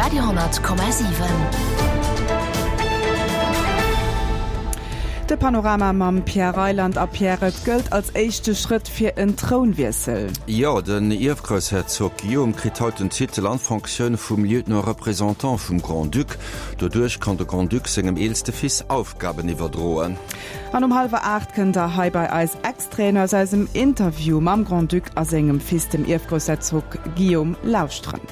Radio,7. De Panorama mam Pierre Reyland a Pierre, et gëllt als éischte Schrëtt fir en Trounwiessel. Jo, den Ierfgroussherzog Guillaume kritt haut den Titel an d'Fonctioun vum Lieutenant-Représentant vum Grand-Duc. Doduerch kann de Grand-Duc sengem eelste Fils Aufgaben iwwerdroen. An um hallwer 8 kënnt der hei bei eis Extraiten aus eisem Interview mam Grand-Duc a sengem Fils, dem Ierfgroussherzog Guillaume, lauschteren.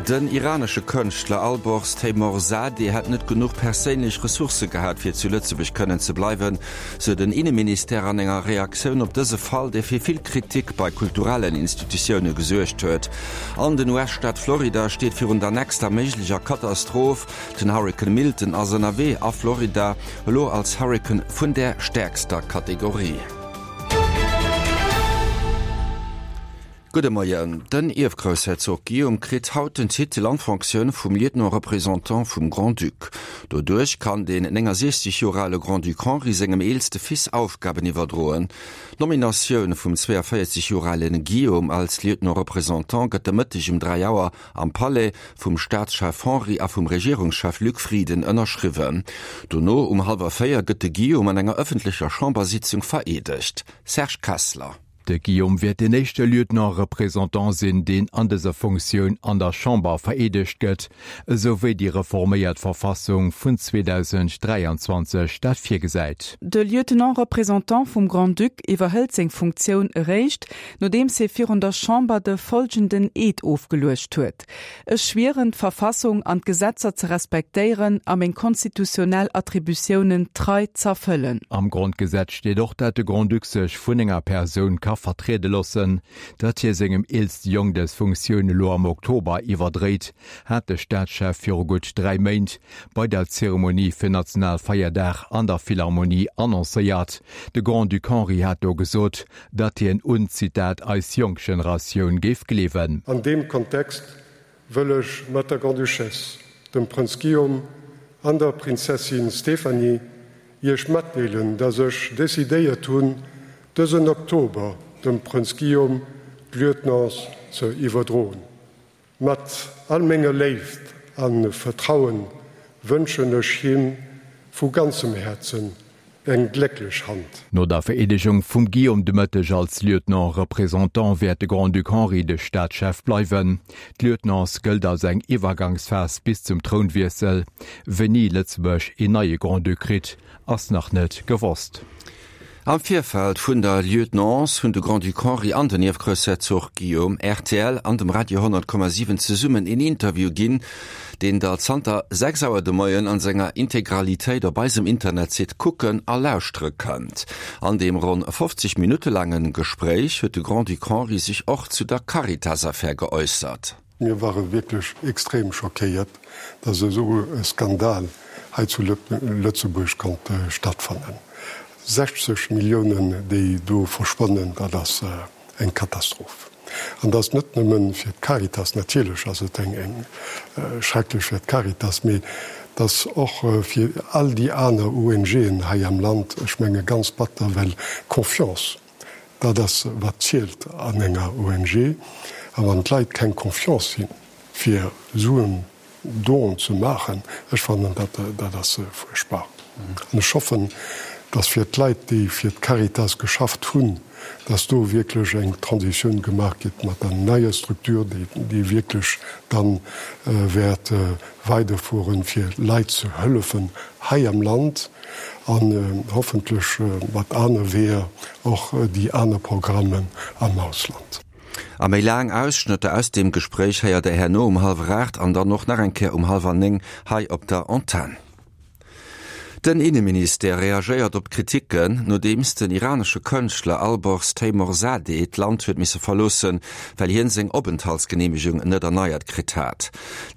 Den iranesche Kënschtler Alborz Teymoorzadeh hätt net genuch perséinlech Ressourcë gehat, fir zu Lëtzebuerg kënnen ze bleiwen, sou den Inneministère an enger Reaktioun op dëse Fall, dee fir vill Kritik bei kulturellen Institutioune gesuergt huet. An den US-Staat Florida steet virun der nächster méiglecher Katastroph. Den Hurrikan Milton ass ënnerwee a Florida, elo als Hurrikan vun der stäerkster Kategorie. Gudde Moien. Den Ierfgroussherzog Guillaume kritt haut den Titel an d'Fonctioun vum Lieutenant-Représentant vum Grand-Duc. Doduerch kann den 69 Joer ale Grand-Duc Henri sengem eelste Fils Aufgaben iwwerdroen. D'Nominatioun vum 42 Joer ale Guillaume als Lieutenant-Représentant gëtt de Mëtteg um 3 Auer am Palais vum Staatschef Henri a vum Regierungschef Luc Frieden ënnerschriwwen. Dono um hallwer 4 gëtt de Guillaume an enger ëffentlecher Chambersitzung vereedegt. Serge Kessler. De Guillaume wäert deen éischte Lieutenant-Représentant sinn, deen an dëser Funktioun an der Chamber vereedegt gëtt, esou wéi déi reforméiert Verfassung vun 2023 dat virgesäit. De Lieutenant-Représentant vum Grand-Duc iwwerhëlt seng Funktioun eréischt, nodeems hie virun der Chamber de folgenden Eed ofgeluecht huet. Ech schwieren, d'Verfassung an d'Gesetzer ze respektéieren a meng konstitutionnell Attributiounen trei z'erfëllen. Am Grondgesetz steet och, dat de Grand-Duc sech vun enger Persoun ka vertriede loossen. Datt hie sengem eelste Jong dës Funktioun elo am Oktober iwwerdréit, hat de Staatschef viru gutt 3 Méint bei der Zeremonie fir Nationalfeierdag an der Philharmonie annoncéiert. De Grand-Duc Henri hat do gesot, datt hien un, Zitat, eis jonk Generatioun géif gleewen. An deem Kontext wëll ech mat der Grande-Duchesse, dem Prënz Guillaume an der Prinzessin Stéphanie Iech matdeelen, dass ech decidéiert hunn, dësen Oktober dem Prënz Guillaume d'Lieutenance ze iwwerdroen. Mat all menger Léift a Vertrauen wënschen ech him vu ganzem Häerzen eng glécklech Hand. No der Vereedegung vum Guillaume de Mëtteg als Lieutenant-Représentant wäert de Grand-Duc Henri de Staatschef bleiwen. D'Lieutenance gëllt als eng Iwwergangsphas bis zum Trounwiessel. Wéini Lëtzebuerg een neie Grand-Duc kritt, ass nach net gewosst. Am Virfeld vun der Lieutenance hunn de Grand-Duc Henri an den Ierfgroussherzog Guillaume rtl an dem Radio 100,7 zesummen een Interview ginn, deen der zanter 6 Auer de Moien an senger Integralitéit op eisem Internetsite kucken a lauschtere kënnt. An deem ronn 50 Minutte laange Gespréich huet de Grand-Duc Henri sech och zu der Caritas-Affär geäussert. Mir ware wierklech extrem schockéiert, dass esou e Skandal hei zu Lëtzebuerg konnt stattfannen. 60 Milliounen, déi do verschwannen, dat ass eng Katastroph. An dat ass net nëmme fir d'Caritas, natierlech ass et eng schrecklech fir d'Caritas, mee et ass och fir all déi aner ONGen hei am Land, ech menge ganz batter, well d'Confiance, Dat ass wat zielt an enger ONG. A wann d'Leit keng Confiance hunn, fir esou en Don ze maachen, ech fannen dat, dat ass fuerchtbar. An ech hoffen, datt fir d'Leit, déi fir d'Caritas geschafft hunn, datt do wierklech eng Transitioun gemaach gëtt mat der neier Structure, déi wierklech dann wäert weiderfueren, fir Leit ze hëllefen hei am Land. An hoffentlech mat aner Weeër och déi aner Programmen am Ausland. A méi laang Ausschnëtter aus deem Gespréich héiert der herno um hallwer 8 an dann och nach eng Kéier um hallwer 9 hei op der Antenn. Den Inneministère reagéiert op d'Kriticken, nodeems den iranesche Kënschtler Alborz Teymoorzadeh d'Land huet misse verloossen, well hien seng Openthaltsgeneemegung net erneiert kritt hat.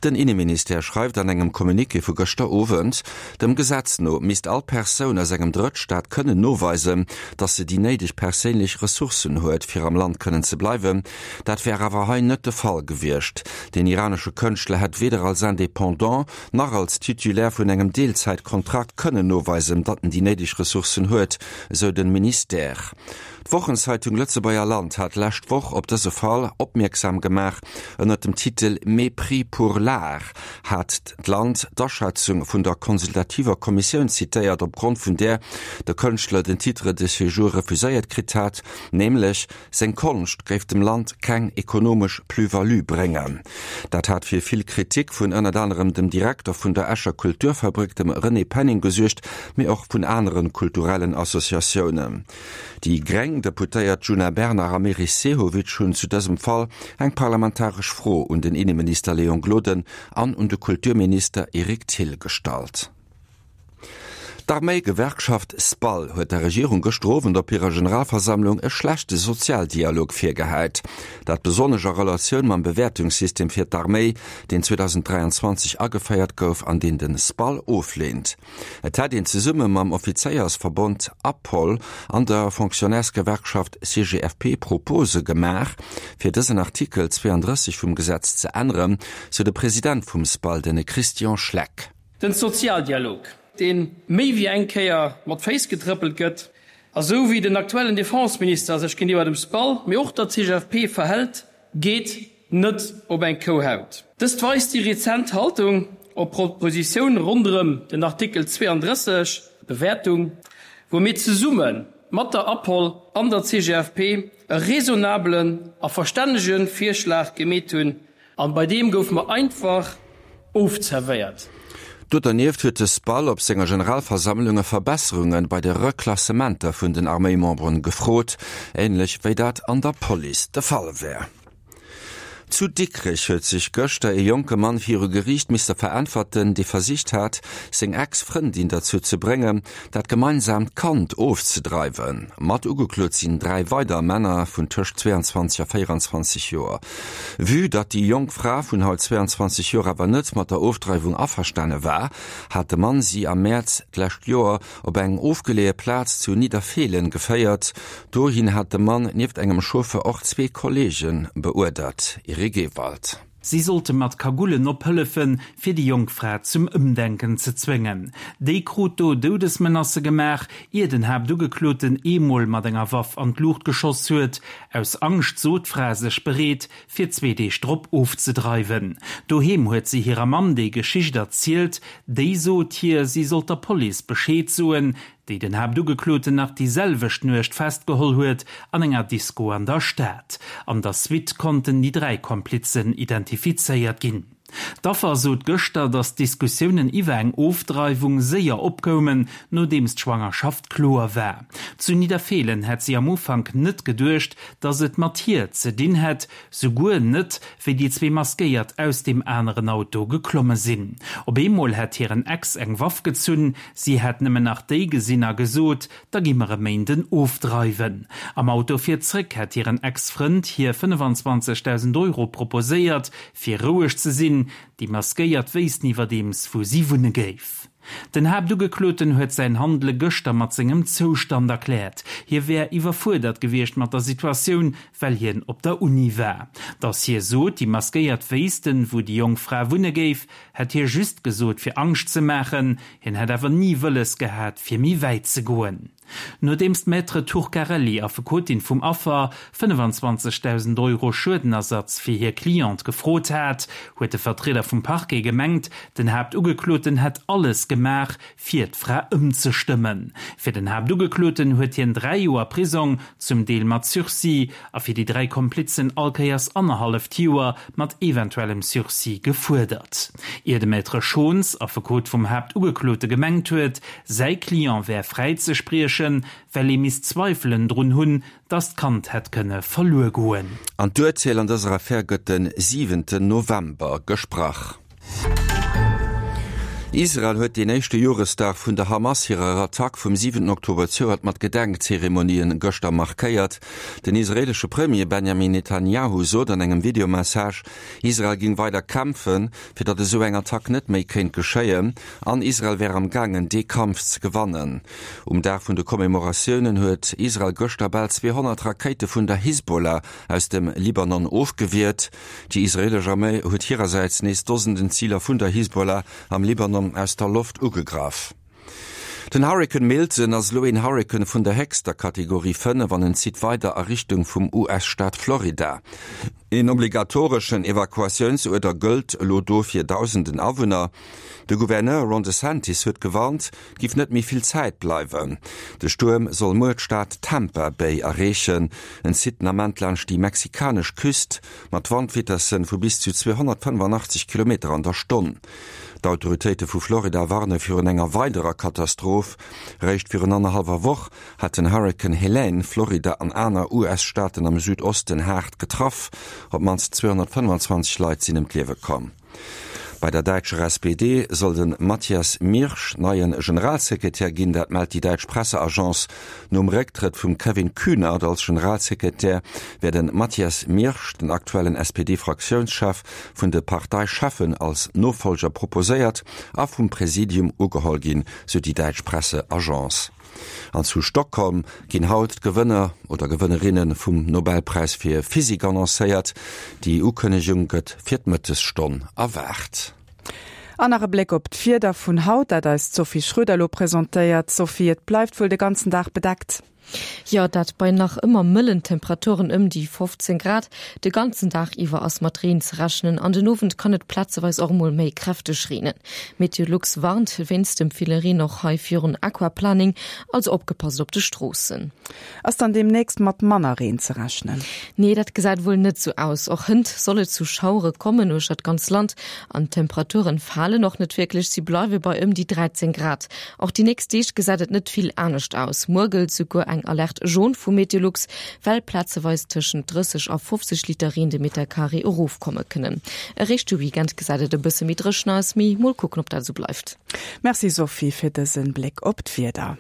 Den Inneministère schreift an engem Communiqué vu gëschter Owend, Dem Gesetz no misst all Persoun aus engem Drëttstaat kënnen noweisen, datt se déi néideg perséinlech Ressourcen huet, fir am Land kënnen ze bleiwen. Dat wär awer hei net de Fall gewiescht. Den iranesche Kënschtler hätt weder als Indépendant nach als Titulaire vun engem Deelzäitkontrakt kënnen noweisen, datt en déi néideg Ressourcen huet, esou den Ministère. D'Wochenzeitung Lëtzebuerger Land hat d'lescht Woch op dëse Fall opmierksam gemaach. Ënnert dem Titel Mépris pour l'art hat d'Land d'Aschätzung vun der consultativer Kommissioun zitéiert, opgrond vun där de Kënschtler den Titre de séjour refuséiert kritt hat, nämlech Seng Konscht géif dem Land keng ekonomesch Plus-value bréngen. Dat hat fir vill Kritik vun ënnert anerem dem Direkter vun der Escher Kulturfabrik, dem René Penning, gesuergt, mee och vun anere kulturellen Associatiounen. Déi gréng Deputéiert Djuna Bernard a Meris Sehovic hunn zu dësem Fall eng parlamentaresch Fro un den Inneminister Léon Gloden an un de Kulturminister Eric Thill gestallt. D'Arméigewerkschaft SPAL huet der Regierung gëschter Owend op hirer Generalversammlung e schlechte Sozialdialog virgehäit. Dat besonnesch a Relatioun mam Bewäertungssystem fir d'Arméi, deen 2023 ageféiert gouf an deen de SPAL ofleent. Et hätt een zesumme mam Offizéiersverbond APOL an der Fonctionnairsgewerkschaft CGFP Propose gemaach, fir dësen Artikel 32 vum Gesetz ze änneren, sou de President vum SPAL, de Christian Schleck. Den Sozialdialog, dee méi wéi eng Kéier mat Féiss getrëppelt gëtt, a sou wéi den aktuellen Defense-Minister sech géintiwwer dem SPAL, mee och der CGFP verhält, geet net op eng Kouhaut. Dëst weist déi rezent Haltung op Propositioun ronderëm den Artikel 32, Bewäertung, wou mir zesumme mat der APOL an der CGFP e raisonnabelen a verstännege Virschlag gemeet hunn, An bei deem gouf mer einfach ofzerwéiert. Do dernieft huet de SPAL op senger Generalversammlung Verbesserunge bei de Reklassementer vun den Arméimemberen gefrot, änlech wéi dat an der Police de Fall wär. Zu Dikrech huet sech gëschter ee jonke Mann viru Geriicht misste veräntwerten, dee versicht hat, seng Ex-Frëndin derzou ze bréngen, dat gemeinsaamt Kand ofzedreiwen. Mat ugeklot sinn 3 weider Männer vun tëscht 22 a 24 Joer. Vue datt déi jonk Fra vun haut 22 Joer awer net mat der Ofdreiwung averstane war, hat de Mann si am Mäerz d'lescht Joer op eng ofgeleeë Plaz zu Nidderfeelen geféiert. Dohin hat de Mann nieft engem Chauffeur och zwee Kolleege beuerdert. Eric Ewald. Si sollte mat Kagullen ophëllefen, fir déi jonk Fra zum Ëmdenken ze zwéngen. Déi krut do Doudesmenacë gemaach, ier den Haaptugekloten eemol mat enger Waff an d'Luucht geschoss huet. Aus Angscht sot d'Fra sech bereet, fir zwee Deeg drop ofzedreiwen. Doheem huet si hirer Mamm déi Geschicht erzielt. Déi sot hir, si sollt der Police Bescheed soen, déi den Haaptugekloten nach déi selwecht Nuecht festgeholl huet an enger Disko an der Stad. An der Suite konnten déi 3 Komplizen identifizéiert ginn. D'Affer sot gëschter, datt d'Diskussiounen iwwer eng Ofdreiwung séier opkoumen, nodeems d'Schwangerschaft kloer war. Zu Nidderfeelen hätt si am Ufank net geduecht, datt et mat hir ze dinn hätt, souguer net, wéi déi zwee Maskéiert aus deem aneren Auto geklomme sinn. Op eemol hätt hiren Ex eng Waff gezunn, si hätt nëmmen nach déi gesinn a gesot, Da gi mer e Méinden ofdreiwen. Am Auto fir zréck hätt hiren Ex-Frënd hir 25.000 Euro proposéiert, fir roueg ze sinn. Déi Maskéiert wéissten iwwerdeems, wou si wunne géif. Den Haaptugekloten huet säin Handele gëschter mat sengem Zoustand erkläert. Hie wär iwwerfuerdert gewiescht mat der Situatioun, well hien op der Uni war. Datt hie sot, déi Maskéiert wéissten, wou déi jonk Fra wunne géif, hätt hie just gesot, fir Angscht ze maachen. Hien hätt awer ni wëlles gehat, fir méi wäit ze goen. Nodeems d'Maître Turcarelli, Affekotin vum Affer, 25.000 Euro Schuedenersatz fir hir Cliente gefrot hat, huet de Vertrieder vum Parquet gemengt, den Haaptugekloten hätt alles gemaach, fir d'Fra ëmzestëmmen. Fir den Haaptugekloten huet hien 3 Joer Prisong, zum Deel mat Sursis, a fir déi 3 Komplizen allkéiers annerhalleft Joer mat eventuellem Sursis gefuerdert. Ier de Maître Schons, Affekot vum Haaptugeklote gemengt huet, säi Client wär fräizespriechen, well ee misst Zweifelen drun hunn, datt d'Kand hätt kënne verluer goen. An d'Urteel an dëser Affär gëtt de siwenten November gesprach. Israel huet deen éischte Joresdag vun der Hamas hirer Attack vum siwenten Oktober zejoert mat Gedenkzeremonien gëschter markéiert. Den israeelesche Premier Benjamin Netanjahu sot an engem Videomessage, Israel géing weider kämpfen, fir datt esou eng Attack net méi kéint geschéien, an Israel wär am gaangen, dee Kampf ze gewannen. Um Dag vun de Commemoratiounen huet Israel gëschter bal 200 Rakéite vun der Hisbollah aus dem Libanon ofgewiert. Déi israeelesch Arméi huet hirersäits nees Dosenden Ziler vun der Hisbollah am Libanon aus der Loft ugegraff. Den Hurrikan Milton ass elo een Hurrikan vun der héchster Kategorie 5 an en zitt weider a Richtung vum US-Staat Florida. Een obligatoreschen Evakuatiounsuerder gëllt elo do fir dausenden Awunner. De Gouverneur Ron DeSantis huet gewarnt, et giff net méi vill Zäit bleiwen. De Stuerm soll muer d'Stad Tampa Bay erreechen. En zitt den Ament laanscht déi mexikanesch Küst mat Wandvitessen vu bis zu 285 Kilometer an der Stonn. D'Autoritéite vu Florida warne virun enger weiderer Katastroph. Réischt virun annerhallwer Woch hat den Hurrikan Helene Florida an aner US-Staaten am Südosten haart getraff. Op d'mannst 225 Leit sinn ëm d'Liewe komm. Bei der däitscher SPD soll de Matthias Miersch neie Generalsekretär ginn, dat mellt déi däitsch Presseagence. Nom Récktrëtt vum Kevin Kühnert als Generalsekretär wär de Matthias Miersch, den aktuellen SPD-Fraktiounschef, vun de Parteicheffen als Nofollger proposéiert a vum Präsidium ugeholl ginn, sou déi däitsch Presseagence. An zu Stockholm ginn haut d'Gewënner oder Gewënnerinne vum Nobelpräis fir Physik annoncéiert. Déi Ukënnegung gëtt fir d'Mëttesstonn erwaart. An nach e Bléck op d'Wieder vun haut, dat eis d'Sophie Schröder elo presentéiert. Sophie, et bleift wuel de ganzen Dag bedeckt? Jo, dat bei nach ëmmer mëllen Temperaturen ëm déi 15 Grad. De ganzen Dag iwwer ass mat Reen ze rechnen, an den Owend kann et plazeweis och emol méi kräfteg reenen. Meteolux warnt wéinst dem ville Reen och hei virun Aquaplaning, also opgepasst op de Stroossen. Ass dann deemnächst mat manner Reen ze rechnen? Nee, dat gesäit wuel net sou aus. Och hënt soll et zu Schauere kommen uechter d'ganz Land an d'Temperaturen falen och net wierklech, si bleiwe bei ëm déi 13 Grad. Och déi nächst Deeg gesäit et net vill anescht aus. Muer gëllt souguer eng Alerte jaune vu Meteolux, well plazeweis tëschent 30 a 50 Liter Reen de Metercarré erofkomme kënnen. Eréischt de Weekend gesäit et e bësse méi dréchen aus, mee mol kucken, ob dat esou bleift. Merci Sophie fir dëse Bléck op d'Wieder.